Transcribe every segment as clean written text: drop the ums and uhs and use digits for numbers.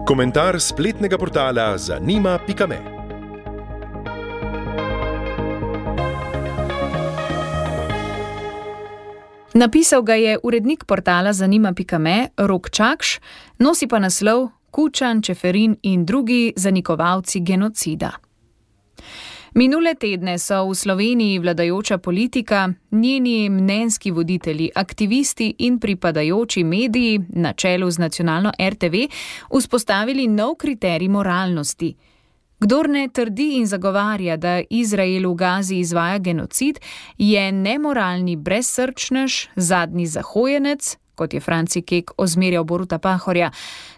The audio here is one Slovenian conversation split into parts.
Komentar spletnega portala zanima.me. Napisal ga je urednik portala zanima.me Rok Čakš, nosi pa naslov Kučan, Čeferin in drugi zanikovalci genocida. Minule tedne so v Sloveniji vladajoča politika, njeni mnenjski voditelji, aktivisti in pripadajoči mediji na čelu z nacionalno RTV vzpostavili nov kriterij moralnosti. Kdor ne trdi in zagovarja, da Izrael v Gazi izvaja genocid, je nemoralni brezsrčnež, zadnji zahojenec, kot je Franci Kek ozmerjal Boruta Pahorja,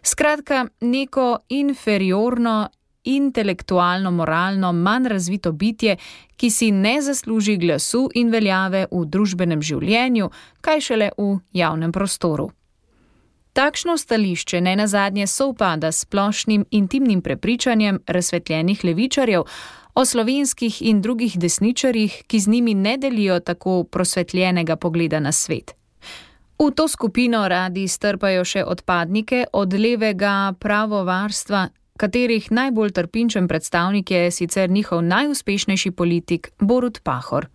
skratka neko inferiorno, intelektualno, moralno, manj razvito bitje, ki si ne zasluži glasu in veljave v družbenem življenju, kaj šele v javnem prostoru. Takšno stališče nenazadnje sovpada s splošnim intimnim prepričanjem razsvetljenih levičarjev o slovenskih in drugih desničarjih, ki z njimi ne delijo tako prosvetljenega pogleda na svet. V to skupino radi strpajo še odpadnike od levega pravovarstva, katerih najbolj trpinčen predstavnik je sicer njihov najuspešnejši politik Borut Pahor.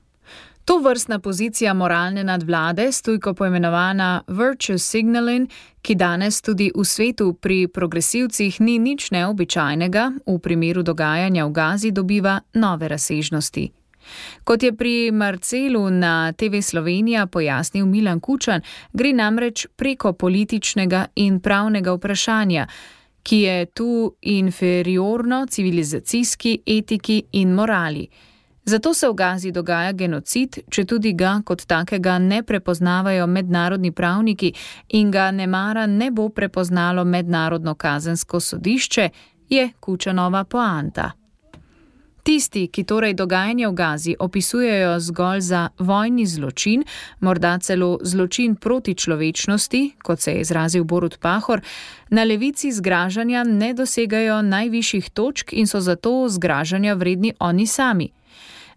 To vrstna pozicija moralne nadvlade, stujko poimenovana virtue signaling, ki danes tudi v svetu pri progresivcih ni nič neobičajnega, v primeru dogajanja v Gazi dobiva nove razsežnosti. Kot je pri Marcelu na TV Slovenija pojasnil Milan Kučan, gre namreč preko političnega in pravnega vprašanja, ki je tu inferiorno civilizacijski etiki in morali. Zato se v Gazi dogaja genocid, četudi ga kot takega ne prepoznavajo mednarodni pravniki in ga nemara ne bo prepoznalo mednarodno kazensko sodišče, je Kučanova poanta. Tisti, ki torej dogajanje v Gazi opisujejo zgolj za vojni zločin, morda celo zločin proti človečnosti, kot se je izrazil Borut Pahor, na levici zgražanja ne dosegajo najvišjih točk in so zato zgražanja vredni oni sami.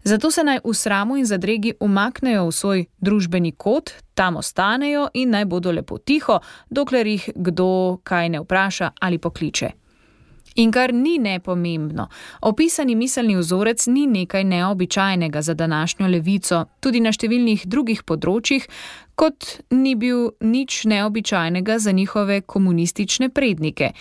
Zato se naj v sramu in zadregi umaknejo v svoj družbeni kot, tam ostanejo in naj bodo lepo tiho, dokler jih kdo kaj ne vpraša ali pokliče. In kar ni nepomembno, opisani miselni vzorec ni nekaj neobičajnega za današnjo levico, tudi na številnih drugih področjih, kot ni bil nič neobičajnega za njihove komunistične prednike.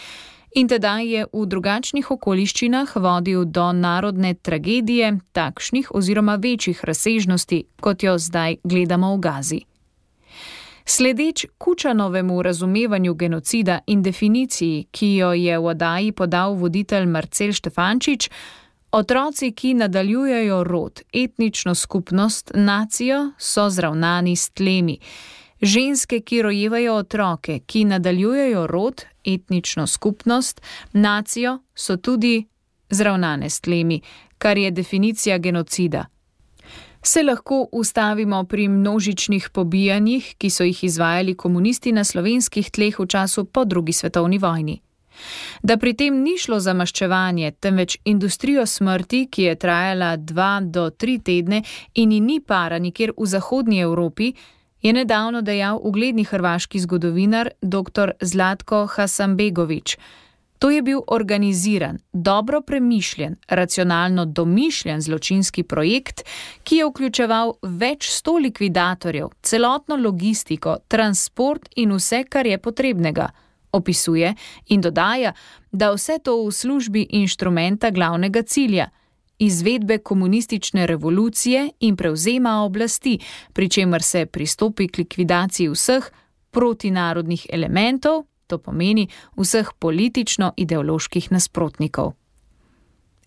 In tedaj je v drugačnih okoliščinah vodil do narodne tragedije, takšnih oziroma večjih razsežnosti, kot jo zdaj gledamo v Gazi. Sledeč Kučanovemu razumevanju genocida in definiciji, ki jo je v oddaji podal voditelj Marcel Štefančič, otroci, ki nadaljujejo rod, etnično skupnost, nacijo, so zravnani s tlemi. Ženske, ki rojevajo otroke, ki nadaljujejo rod, etnično skupnost, nacijo, so tudi zravnane s tlemi, kar je definicija genocida. Se lahko ustavimo pri množičnih pobijanjih, ki so jih izvajali komunisti na slovenskih tleh v času po drugi svetovni vojni. Da pri tem ni šlo za maščevanje, temveč industrijo smrti, ki je trajala 2 do 3 tedne in ni para nikjer v zahodnji Evropi, je nedavno dejal ugledni hrvaški zgodovinar dr. Zlatko Hasanbegović. To je bil organiziran, dobro premišljen, racionalno domišljen zločinski projekt, ki je vključeval več 100 likvidatorjev, celotno logistiko, transport in vse, kar je potrebnega. Opisuje in dodaja, da vse to v službi inštrumenta glavnega cilja, izvedbe komunistične revolucije in prevzema oblasti, pri čemer se pristopi k likvidaciji vseh protinarodnih elementov, to pomeni vseh politično-ideoloških nasprotnikov.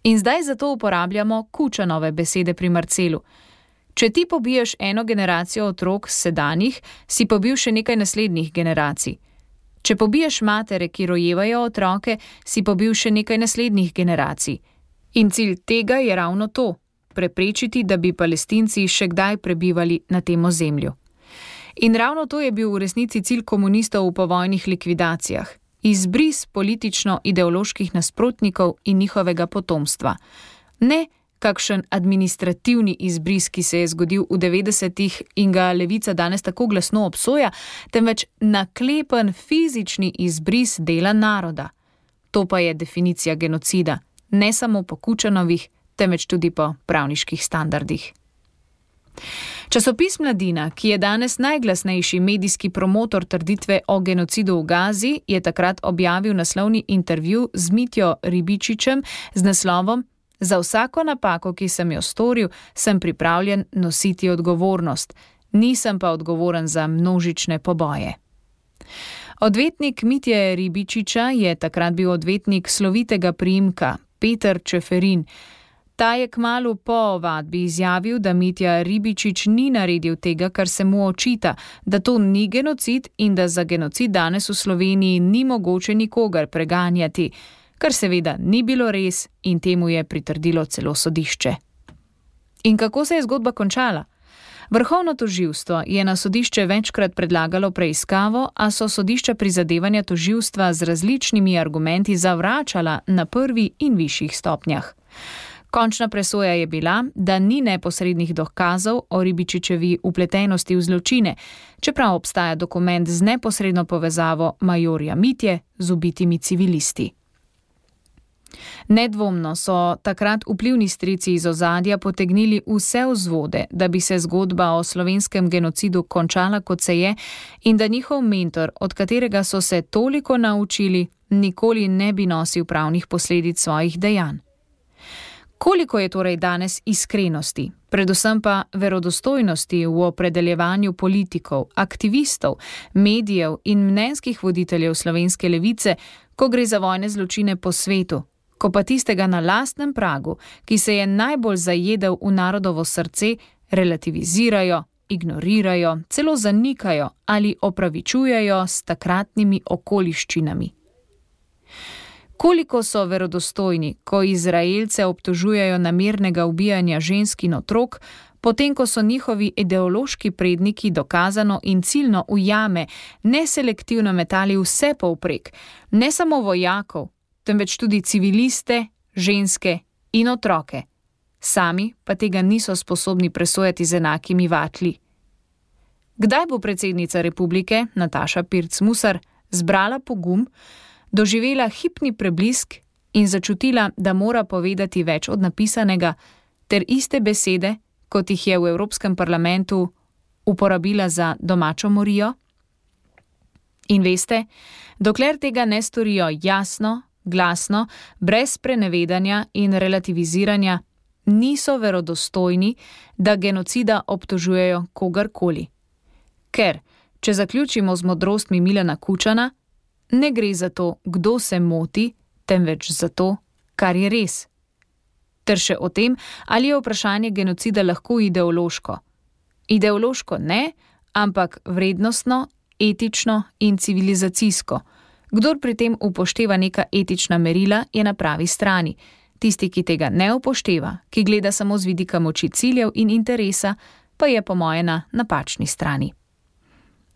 In zdaj zato uporabljamo Kučanove besede pri Marcelu. Če ti pobiješ eno generacijo otrok sedanjih, si pobil še nekaj naslednjih generacij. Če pobiješ matere, ki rojevajo otroke, si pobil še nekaj naslednjih generacij. In cilj tega je ravno to, preprečiti, da bi Palestinci še kdaj prebivali na tem ozemlju. In ravno to je bil v resnici cilj komunistov v povojnih likvidacijah. Izbris politično-ideoloških nasprotnikov in njihovega potomstva. Ne kakšen administrativni izbris, ki se je zgodil v 90-ih in ga levica danes tako glasno obsoja, temveč naklepen fizični izbris dela naroda. To pa je definicija genocida, ne samo po Kučanovih, temveč tudi po pravniških standardih. Časopis Mladina, ki je danes najglasnejši medijski promotor trditve o genocidu v Gazi, je takrat objavil naslovni intervju z Mitjo Ribičičem z naslovom "Za vsako napako, ki sem jo storil, sem pripravljen nositi odgovornost. Nisem pa odgovoren za množične poboje." Odvetnik Mitje Ribičiča je takrat bil odvetnik slovitega priimka Peter Čeferin. Ta je kmalu po ovadbi izjavil, da Mitja Ribičič ni naredil tega, kar se mu očita, da to ni genocid in da za genocid danes v Sloveniji ni mogoče nikogar preganjati, kar seveda ni bilo res in temu je pritrdilo celo sodišče. In kako se je zgodba končala? Vrhovno tožilstvo je na sodišče večkrat predlagalo preiskavo, a so sodišča prizadevanja tožilstva z različnimi argumenti zavračala na prvi in višjih stopnjah. Končna presoja je bila, da ni neposrednih dokazov o Ribičičevi vpletenosti v zločine, čeprav obstaja dokument z neposredno povezavo majorja Mitje z ubitimi civilisti. Nedvomno so takrat vplivni strici iz ozadja potegnili vse vzvode, da bi se zgodba o slovenskem genocidu končala, kot se je, in da njihov mentor, od katerega so se toliko naučili, nikoli ne bi nosil pravnih posledic svojih dejanj. Koliko je torej danes iskrenosti, predvsem pa verodostojnosti v opredeljevanju politikov, aktivistov, medijev in mnenjskih voditeljev slovenske levice, ko gre za vojne zločine po svetu, ko pa tistega na lastnem pragu, ki se je najbolj zajedel v narodovo srce, relativizirajo, ignorirajo, celo zanikajo ali opravičujejo s takratnimi okoliščinami. Koliko so verodostojni, ko Izraelce obtožujejo namernega ubijanja žensk in otrok, potem ko so njihovi ideološki predniki dokazano in ciljno v jame neselektivno metali vse povprek, ne samo vojakov, temveč tudi civiliste, ženske in otroke. Sami pa tega niso sposobni presojati z enakimi vatli. Kdaj bo predsednica republike, Nataša Pirc Musar, zbrala pogum, doživela hipni preblisk in začutila, da mora povedati več od napisanega, ter iste besede, kot jih je v Evropskem parlamentu uporabila za domačo morijo? In veste, dokler tega ne storijo jasno, glasno, brez sprenevedanja in relativiziranja, niso verodostojni, da genocida obtožujejo kogarkoli. Ker, če zaključimo z modrostmi Milana Kučana, ne gre za to, kdo se moti, temveč za to, kar je res. Ter še o tem, ali je vprašanje genocida lahko ideološko. Ideološko ne, ampak vrednostno, etično in civilizacijsko. Kdor pri tem upošteva neka etična merila, je na pravi strani. Tisti, ki tega ne upošteva, ki gleda samo z vidika moči ciljev in interesa, pa je po moje na napačni strani.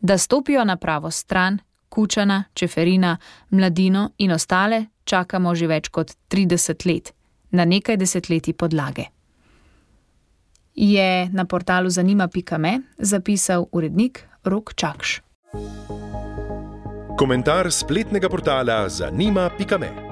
Da stopijo na pravo stran, Kučana, Čeferina, Mladino in ostale čakamo že več kot 30 let, na nekaj desetletij podlage. Je na portalu zanima.me zapisal urednik Rok Čakš. Komentar spletnega portala zanima.me.